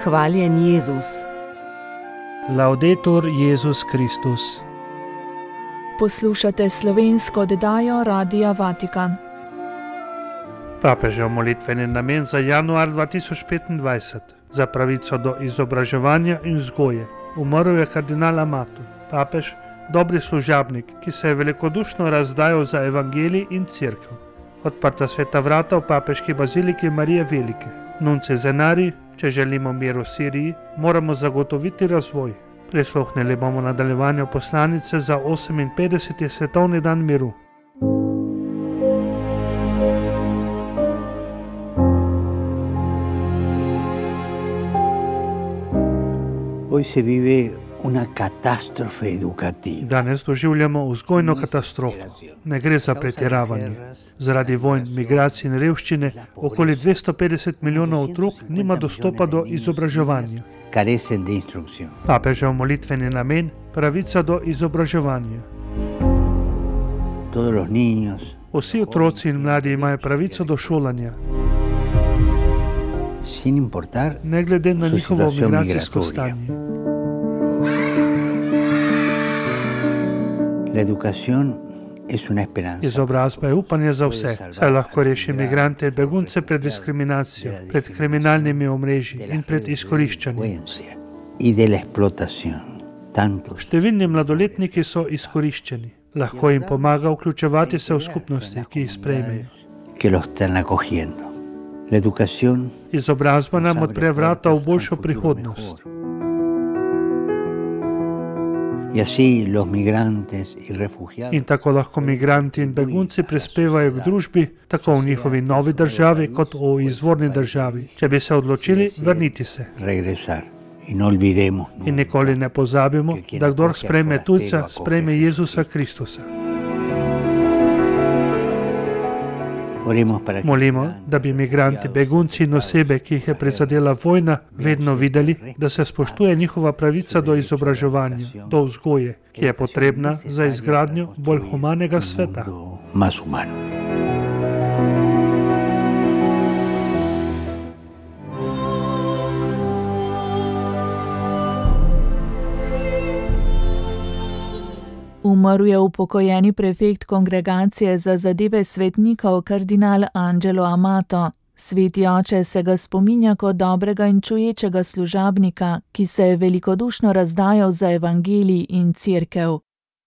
Hvaljen Jezus. Laudetur Jezus Kristus. Poslušate slovensko oddajo Radia Vatikan. Papežev molitveni namen za januar 2025. Za pravico do izobraževanja in vzgoje. Umrl je kardinal Amato, papež, dobri služabnik, ki se je velikodušno razdajal za evangelij in cerkev. Odprta sveta vrata v papeški baziliki Marije Velike. Nuncie Zenari, če želimo mir v Siriji, moramo zagotoviti razvoj. Prisluhnili bomo nadaljevanju poslanice za 58. svetovni dan miru. Hoy se vive una catástrofe educativa. Danes doživljamo vzgojno katastrofo. Ne gre za pretiravanje. Zaradi vojn, migracij in revščine okoli 250 milijonov otrok nima dostopa do izobraževanja. Carecen de instrucción. Papežev molitveni namen, pravica do izobraževanja. Todos los niños, Vsi otroci in mladi imajo pravico do šolanja, sin importar ne glede na su njihovo situación migracijsko migratoria. stanje. La educación es una esperanza. Izobrazba je upanje za vse, saj lahko reši migrante in begunce pred diskriminacijo, pred kriminalnimi omrežji in pred izkoriščanjem. Y de la explotación. Tantos Številni mladoletniki so izkoriščeni. Lahko jim pomaga vključevati se v skupnosti, ki jih sprejmejo. que los están acogiendo. La educación Izobrazba nam odpre vrata v boljšo prihodnost. y así los migrantes y refugiados In tako lahko migranti in begunci prispevajo k družbi, tako v njihovi novi državi, kot v izvorni državi, če bi se odločili vrniti se. regresar. Y no olvidemos In nikoli ne pozabimo, da kdor sprejme tujca, sprejme Jezusa Kristusa. Oremos para que Molimo, da bi migranti, begunci in osebe, ki jih je prizadela vojna, vedno videli, da se spoštuje njihova pravica do izobraževanja, do vzgoje, ki je potrebna za izgradnjo bolj humanega sveta. mundo más humano. Umrl je upokojeni prefekt kongregacije za zadeve svetnikov kardinal Angelo Amato. Sveti oče se ga spominja kot dobrega in čuječega služabnika, ki se je velikodušno razdajal za evangelij in cerkev.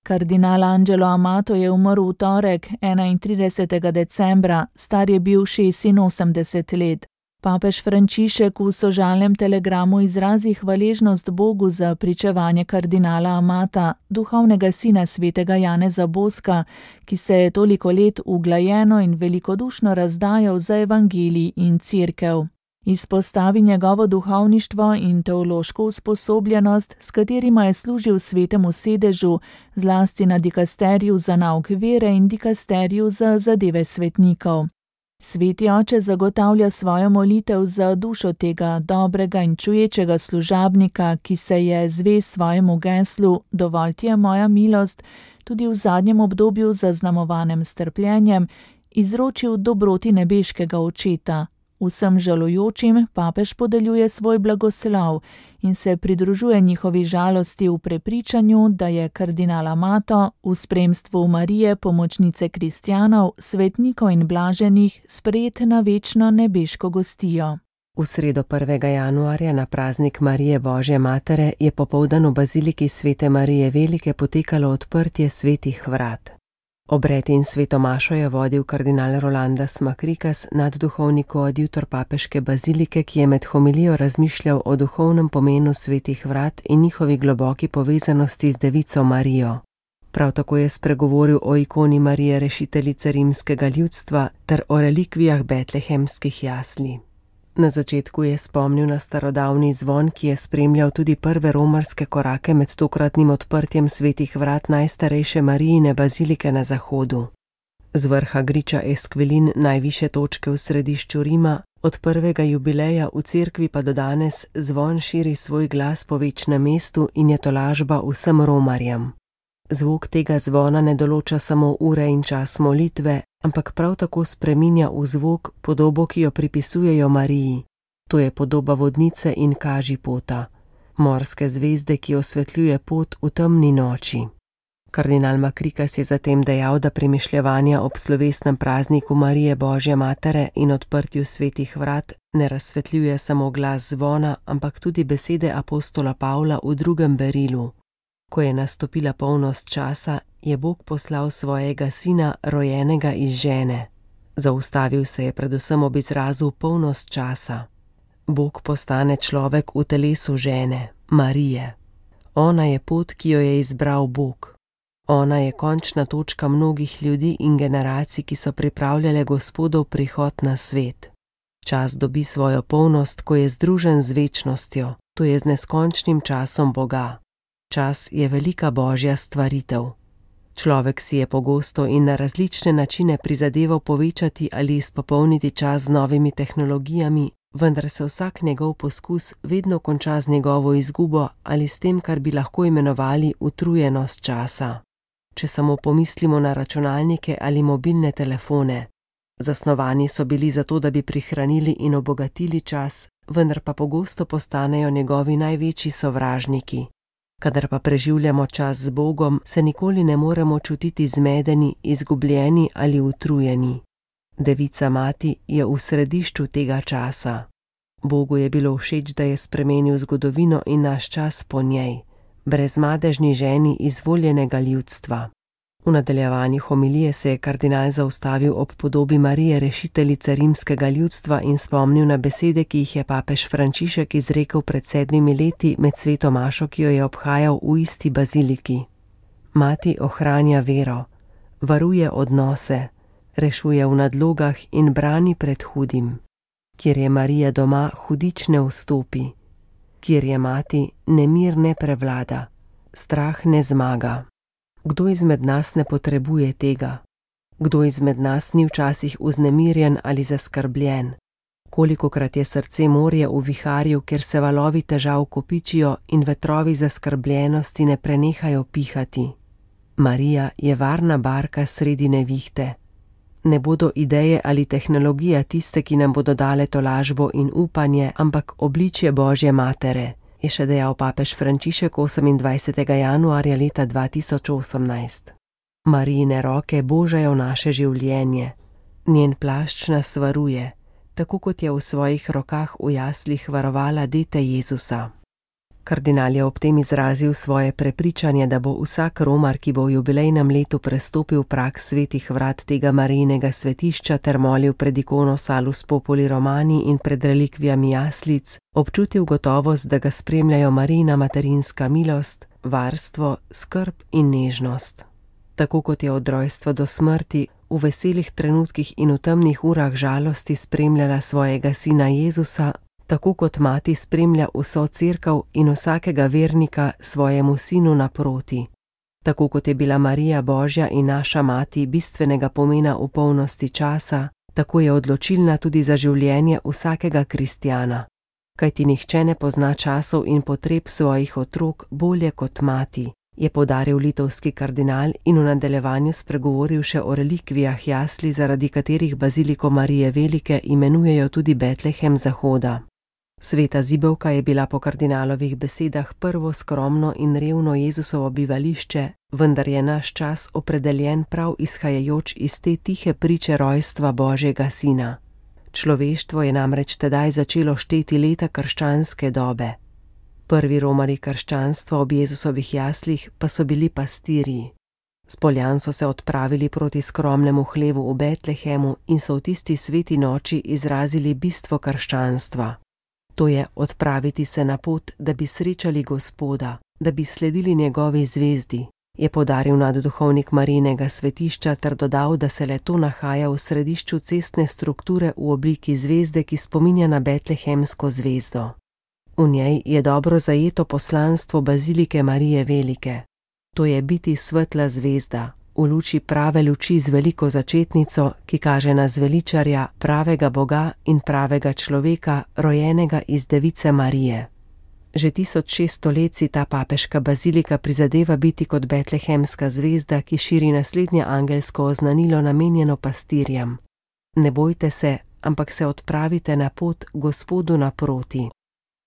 Kardinal Angelo Amato je umrl v torek, 31. decembra, star je bil 86 let. Papež Frančišek v sožalnem telegramu izrazi hvaležnost Bogu za pričevanje kardinala Amata, duhovnega sina svetega Janeza Boska, ki se je toliko let uglajeno in velikodušno razdajal za evangelij in cerkev. Izpostavi njegovo duhovništvo in teološko usposobljenost, s katerima je služil svetemu sedežu, zlasti na dikasteriju za nauk vere in dikasteriju za zadeve svetnikov. Sveti oče zagotavlja svojo molitev za dušo tega dobrega in čuječega služabnika, ki se je zvest svojemu geslu "Dovolj ti je moja milost", tudi v zadnjem obdobju zaznamovanem s trpljenjem, izročil dobroti nebeškega očeta. Vsem žalujočim papež podeljuje svoj blagoslov in se pridružuje njihovi žalosti v prepričanju, da je kardinal Amato v spremstvu Marije, pomočnice kristjanov, svetnikov in blaženih, sprejet na večno nebeško gostijo. V sredo 1. januarja na praznik Marije Božje Matere je popoldan v baziliki Svete Marije Velike potekalo odprtje svetih vrat. Obred in sveto mašo je vodil kardinal Rolandas Makrikas, nadduhovni koadjutor papeške bazilike, ki je med homilijo razmišljal o duhovnem pomenu svetih vrat in njihovi globoki povezanosti z devico Marijo. Prav tako je spregovoril o ikoni Marije rešiteljice rimskega ljudstva ter o relikvijah betlehemskih jasli. Na začetku je spomnil na starodavni zvon, ki je spremljal tudi prve romarske korake med tokratnim odprtjem svetih vrat najstarejše Marijine bazilike na zahodu. Z vrha griča Esquilin, najvišje točke v središču Rima, od prvega jubileja v cerkvi pa do danes zvon širi svoj glas po večnem mestu in je tolažba vsem romarjem. Zvok tega zvona ne določa samo ure in čas molitve, ampak prav tako spreminja v zvok podobo, ki jo pripisujejo Mariji. To je podoba vodnice in kažipota, morske zvezde, ki osvetljuje pot v temni noči. Kardinal Makrikas je zatem dejal, da premišljevanja ob slovesnem prazniku Marije Božje Matere in odprtju svetih vrat ne razsvetljuje samo glas zvona, ampak tudi besede apostola Pavla v 2. berilu. Ko je nastopila polnost časa, je Bog poslal svojega sina, rojenega iz žene. Zaustavil se je predvsem ob izrazu polnost časa. Bog postane človek v telesu žene, Marije. Ona je pot, ki jo je izbral Bog. Ona je končna točka mnogih ljudi in generacij, ki so pripravljale Gospodov prihod na svet. Čas dobi svojo polnost, ko je združen z večnostjo, to je z neskončnim časom Boga. Čas je velika božja stvaritev. Človek si je pogosto in na različne načine prizadeval povečati ali izpopolniti čas z novimi tehnologijami, vendar se vsak njegov poskus vedno konča z njegovo izgubo ali s tem, kar bi lahko imenovali utrujenost časa. Če samo pomislimo na računalnike ali mobilne telefone. Zasnovani so bili zato, da bi prihranili in obogatili čas, vendar pa pogosto postanejo njegovi največji sovražniki. Kadar pa preživljamo čas z Bogom, se nikoli ne moremo čutiti zmedeni, izgubljeni ali utrujeni. Devica Mati je v središču tega časa. Bogu je bilo všeč, da je spremenil zgodovino in naš čas po njej, brezmadežni ženi izvoljenega ljudstva. V nadaljevanju homilije se je kardinal zaustavil ob podobi Marije rešiteljice rimskega ljudstva in spomnil na besede, ki jih je papež Frančišek izrekel pred 7 leti med sveto mašo, ki jo je obhajal v isti baziliki. Mati ohranja vero, varuje odnose, rešuje v nadlogah in brani pred hudim. Kjer je Marija doma, hudič ne vstopi. Kjer je mati, nemir ne prevlada, strah ne zmaga. Kdo izmed nas ne potrebuje tega? Kdo izmed nas ni včasih vznemirjen ali zaskrbljen? Kolikokrat je srce morje v viharju, kjer se valovi težav kopičijo in vetrovi zaskrbljenosti ne prenehajo pihati? Marija je varna barka sredi nevihte. Ne bodo ideje ali tehnologija tiste, ki nam bodo dale tolažbo in upanje, ampak obličje Božje Matere, je še dejal papež Frančišek 28. januarja leta 2018. Marijine roke božajo naše življenje. Njen plašč nas varuje, tako kot je v svojih rokah v jaslih varovala dete Jezusa. Kardinal je ob tem izrazil svoje prepričanje, da bo vsak romar, ki bo v jubilejnem letu prestopil prag svetih vrat tega Marijinega svetišča ter molil pred ikono Salus Populi Romani in pred relikvijami jaslic, občutil gotovost, da ga spremljajo Marijina materinska milost, varstvo, skrb in nežnost. Tako kot je od rojstva do smrti, v veselih trenutkih in v temnih urah žalosti spremljala svojega sina Jezusa, tako kot mati spremlja vso cerkev in vsakega vernika svojemu sinu naproti. Tako kot je bila Marija Božja in naša mati bistvenega pomena v polnosti časa, tako je odločilna tudi za življenje vsakega kristjana. Kajti nihče ne pozna časov in potreb svojih otrok bolje kot mati, je poudaril litovski kardinal in v nadaljevanju spregovoril še o relikvijah jasli, zaradi katerih baziliko Marije Velike imenujejo tudi Betlehem Zahoda. Sveta zibelka je bila po kardinalovih besedah prvo skromno in revno Jezusovo bivališče, vendar je naš čas opredeljen prav izhajajoč iz te tihe priče rojstva Božjega sina. Človeštvo je namreč tedaj začelo šteti leta krščanske dobe. Prvi romarji krščanstva ob Jezusovih jaslih pa so bili pastirji. S Poljan so se odpravili proti skromnemu hlevu v Betlehemu in so v tisti sveti noči izrazili bistvo krščanstva. To je odpraviti se na pot, da bi srečali Gospoda, da bi sledili njegovi zvezdi, je poudaril nadduhovnik Marijinega svetišča ter dodal, da se le to nahaja v središču cestne strukture v obliki zvezde, ki spominja na betlehemsko zvezdo. V njej je dobro zajeto poslanstvo bazilike Marije Velike. To je biti svetla zvezda, v luči prave luči z veliko začetnico, ki kaže na zveličarja, pravega Boga in pravega človeka, rojenega iz Device Marije. Že 1600 let si ta papeška bazilika prizadeva biti kot betlehemska zvezda, ki širi naslednje angelsko oznanilo namenjeno pastirjem. Ne bojte se, ampak se odpravite na pot Gospodu naproti.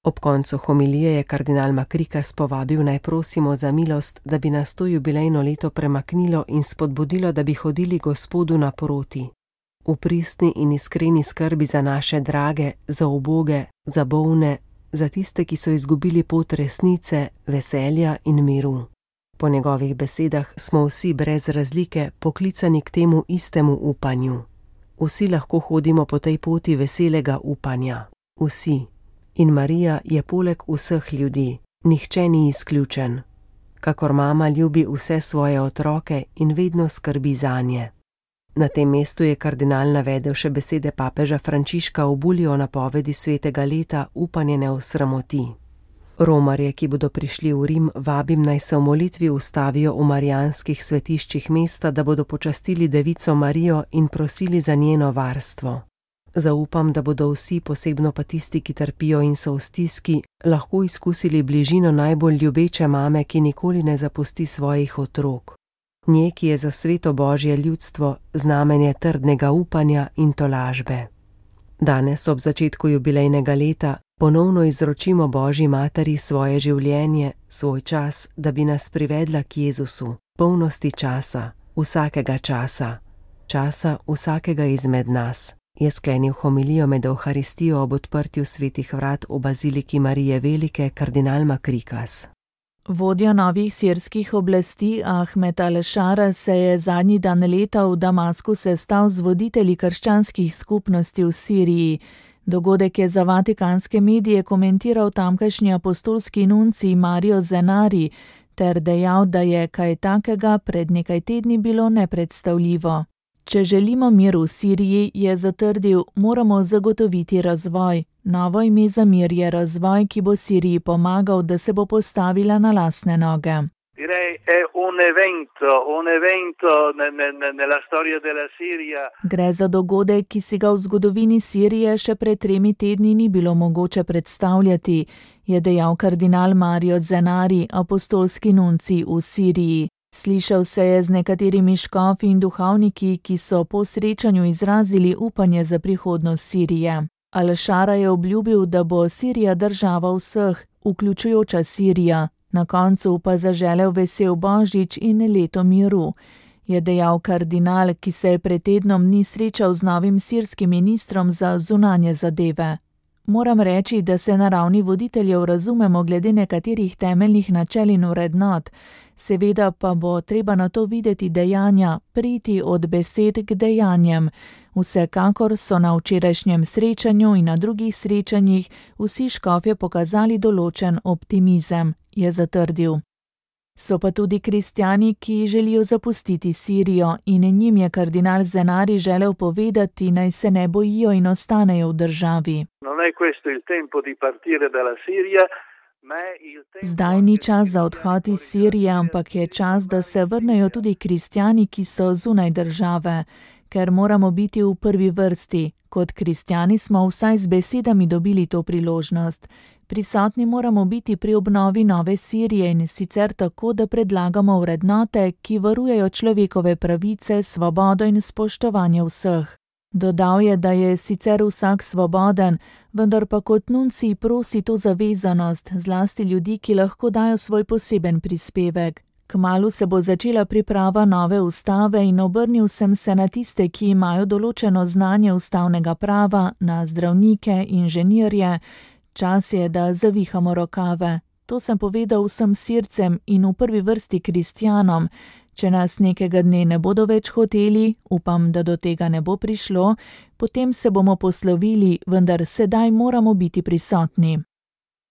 Ob koncu homilije je kardinal Makrikas povabil, naj prosimo za milost, da bi nas to jubilejno leto premaknilo in spodbudilo, da bi hodili Gospodu naproti. V pristni in iskreni skrbi za naše drage, za uboge, za bolne, za tiste, ki so izgubili pot resnice, veselja in miru. Po njegovih besedah smo vsi brez razlike poklicani k temu istemu upanju. Vsi lahko hodimo po tej poti veselega upanja. Vsi. In Marija je poleg vseh ljudi. Nihče ni izključen. Kakor mama ljubi vse svoje otroke in vedno skrbi zanje. Na tem mestu je kardinal navedel še besede papeža Frančiška v bulji o napovedi svetega leta Upanje ne osramoti. Romarje, ki bodo prišli v Rim, vabim, naj se v molitvi ustavijo v marijanskih svetiščih mesta, da bodo počastili Devico Marijo in prosili za njeno varstvo. Zaupam, da bodo vsi, posebno pa tisti, ki trpijo in so v stiski, lahko izkusili bližino najbolj ljubeče mame, ki nikoli ne zapusti svojih otrok. Nje, ki je za sveto Božje ljudstvo znamenje trdnega upanja in tolažbe. Danes, ob začetku jubilejnega leta, ponovno izročimo Božji materi svoje življenje, svoj čas, da bi nas privedla k Jezusu, polnosti časa, časa vsakega izmed nas, je sklenil homilijo med Evharistijo ob odprtju svetih vrat v baziliki Marije Velike kardinal Makrikas. Vodja novih sirskih oblasti Ahmed al-Šara se je zadnji dan leta v Damasku sestal z voditelji krščanskih skupnosti v Siriji. Dogodek je za vatikanske medije komentiral tamkajšnji apostolski nuncij Mario Zenari ter dejal, da je kaj takega pred nekaj tedni bilo nepredstavljivo. Če želimo mir v Siriji, je zatrdil, moramo zagotoviti razvoj. Novo ime za mir je razvoj, ki bo Siriji pomagal, da se bo postavila na lastne noge. Gre za dogodek, ki si ga v zgodovini Sirije še pred 3 tedni ni bilo mogoče predstavljati, je dejal kardinal Mario Zenari, apostolski nuncij v Siriji. Slišal se je z nekaterimi škofi in duhovniki, ki so po srečanju izrazili upanje za prihodnost Sirije. Al-Šara je obljubil, da bo Sirija država vseh, vključujoča Sirija, na koncu pa zaželel vesel Božič in leto miru, je dejal kardinal, ki se je pred tednom dni srečal z novim sirskim ministrom za zunanje zadeve. Moram reči, da se na ravni voditeljev razumemo glede nekaterih temeljnih načel in vrednot, seveda pa bo treba na to videti dejanja, priti od besed k dejanjem. Vsekakor so na včerajšnjem srečanju in na drugih srečanjih vsi škofje pokazali določen optimizem, je zatrdil. So pa tudi kristjani, ki želijo zapustiti Sirijo in njim je kardinal Zenari želel povedati, naj se ne bojijo in ostanejo v državi. Zdaj ni čas za odhod iz Sirije, ampak je čas, da se vrnejo tudi kristjani, ki so zunaj države, ker moramo biti v prvi vrsti. Kot kristjani smo vsaj z besedami dobili to priložnost. Prisotni moramo biti pri obnovi nove Sirije in sicer tako, da predlagamo vrednote, ki varujejo človekove pravice, svobodo in spoštovanje vseh. Dodal je, da je sicer vsak svoboden, vendar pa kot nuncij prosi to zavezanost, zlasti ljudi, ki lahko dajo svoj poseben prispevek. Kmalu se bo začela priprava nove ustave in obrnil sem se na tiste, ki imajo določeno znanje ustavnega prava, na zdravnike, inženirje. Čas je, da zavihamo rokave. To sem povedal vsem Sircem in v prvi vrsti kristjanom. Če nas nekega dne ne bodo več hoteli, upam, da do tega ne bo prišlo, potem se bomo poslovili, vendar sedaj moramo biti prisotni.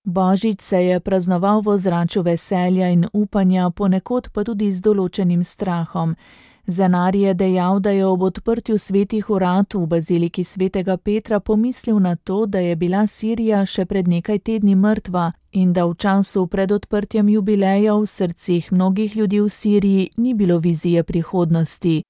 Božič se je praznoval v ozračju veselja in upanja, ponekod pa tudi z določenim strahom. Zenari je dejal, da je ob odprtju svetih vrat v baziliki svetega Petra pomislil na to, da je bila Sirija še pred nekaj tedni mrtva in da v času pred odprtjem jubileja v srcih mnogih ljudi v Siriji ni bilo vizije prihodnosti.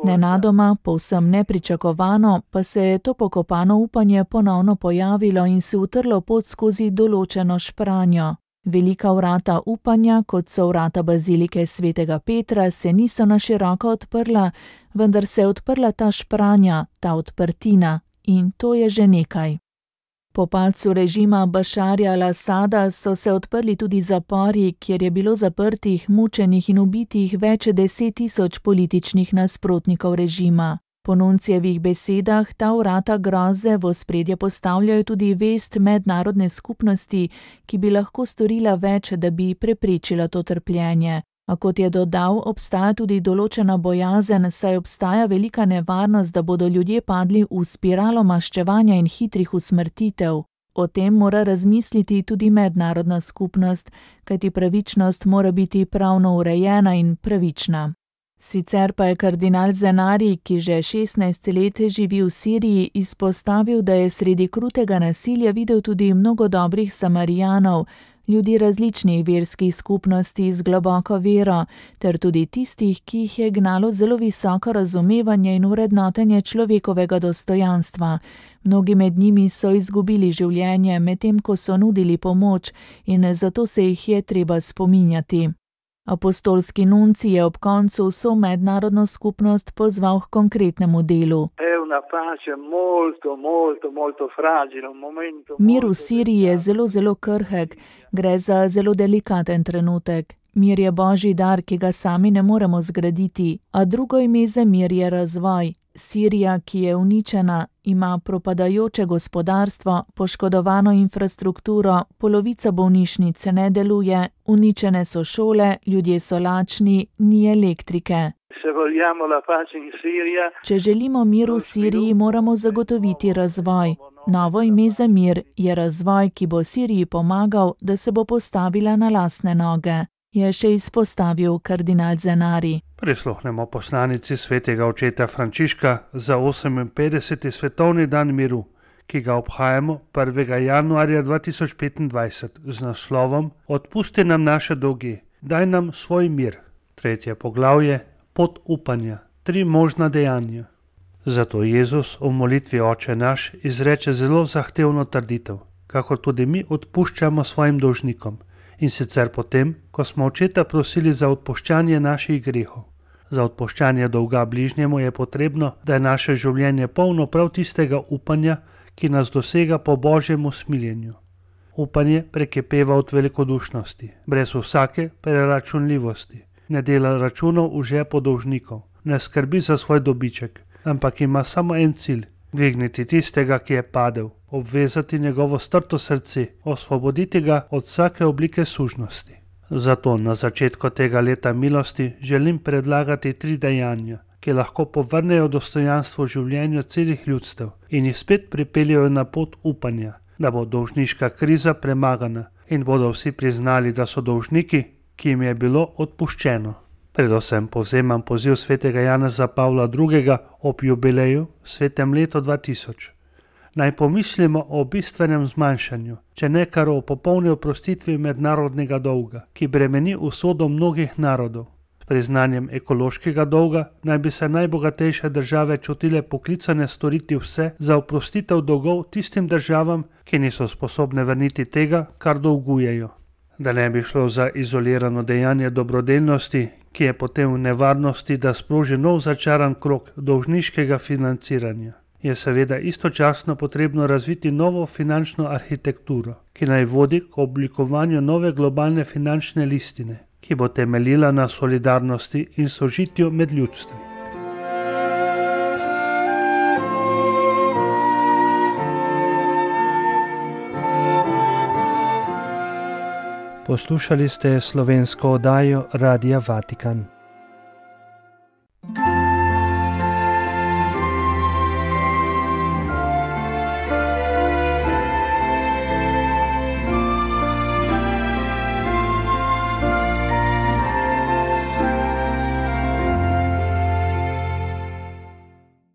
Nenadoma, povsem nepričakovano, pa se je to pokopano upanje ponovno pojavilo in se utrlo pot skozi določeno špranjo. Velika vrata upanja, kot so vrata bazilike svetega Petra, se niso na široko odprla, vendar se je odprla ta špranja, ta odprtina, in to je že nekaj. Po padcu režima Bašarja al-Asada so se odprli tudi zapori, kjer je bilo zaprtih, mučenih in ubitih več 10.000 političnih nasprotnikov režima. Po Nuncijevih besedah ta vrata groze v ospredje postavljajo tudi vest mednarodne skupnosti, ki bi lahko storila več, da bi preprečila to trpljenje. A kot je dodal, obstaja tudi določena bojazen, saj obstaja velika nevarnost, da bodo ljudje padli v spiralo maščevanja in hitrih usmrtitev. O tem mora razmisliti tudi mednarodna skupnost, kajti pravičnost mora biti pravno urejena in pravična. Sicer pa je kardinal Zenari, ki že 16 let živi v Siriji, izpostavil, da je sredi krutega nasilja videl tudi mnogo dobrih Samarijanov, ljudi različnih verskih skupnosti z globoko vero, ter tudi tistih, ki jih je gnalo zelo visoko razumevanje in vrednotenje človekovega dostojanstva. Mnogi med njimi so izgubili življenje, medtem ko so nudili pomoč, in zato se jih je treba spominjati. Apostolski nuncij je ob koncu vso mednarodno skupnost pozval k konkretnemu delu. Mir v Siriji je zelo krhek, gre za zelo delikaten trenutek. Mir je božji dar, ki ga sami ne moremo zgraditi, a drugo ime za mir je razvoj. Sirija, ki je uničena, ima propadajoče gospodarstvo, poškodovano infrastrukturo, polovica bolnišnic ne deluje, uničene so šole, ljudje so lačni, ni elektrike. Če želimo mir v Siriji, moramo zagotoviti razvoj. Novo ime za mir je razvoj, ki bo Siriji pomagal, da se bo postavila na lastne noge, je še izpostavil kardinal Zenari. Prisluhnemo poslanici svetega očeta Frančiška za 58. svetovni dan miru, ki ga obhajamo 1. januarja 2025 z naslovom Odpusti nam naše dolge, daj nam svoj mir. 3. poglavje Pot upanja, 3 možna dejanja. Zato Jezus v molitvi Oče naš izreče zelo zahtevno trditev, kakor tudi mi odpuščamo svojim dolžnikom, in sicer potem, ko smo očeta prosili za odpuščanje naših grehov. Za odpuščanje dolga bližnjemu je potrebno, da je naše življenje polno prav tistega upanja, ki nas dosega po božjem usmiljenju. Upanje prekipeva od velikodušnosti, brez vsake preračunljivosti, ne dela računov v žepu dolžnikov, ne skrbi za svoj dobiček, ampak ima samo en cilj: dvigniti tistega, ki je padel, obvezati njegovo strto srce, osvoboditi ga od vsake oblike sužnosti. Zato na začetku tega leta milosti želim predlagati 3 dejanja, ki lahko povrnejo dostojanstvo življenju celih ljudstev in jih spet pripeljejo na pot upanja, da bo dolžniška kriza premagana in bodo vsi priznali, da so dolžniki, ki jim je bilo odpuščeno. Predvsem povzemam poziv svetega Janeza Pavla II. Ob jubileju, svetem letu 2000. Naj pomislimo o bistvenem zmanjšanju, če ne kar o popolni oprostitvi mednarodnega dolga, ki bremeni usodo mnogih narodov. S priznanjem ekološkega dolga naj bi se najbogatejše države čutile poklicane storiti vse za oprostitev dolgov tistim državam, ki niso sposobne vrniti tega, kar dolgujejo. Da ne bi šlo za izolirano dejanje dobrodelnosti, ki je potem v nevarnosti, da sproži nov začaran krog dolžniškega financiranja, je seveda istočasno potrebno razviti novo finančno arhitekturo, ki naj vodi k oblikovanju nove globalne finančne listine, ki bo temeljila na solidarnosti in sožitju med ljudstvi. Poslušali ste slovensko oddajo Radia Vatikan.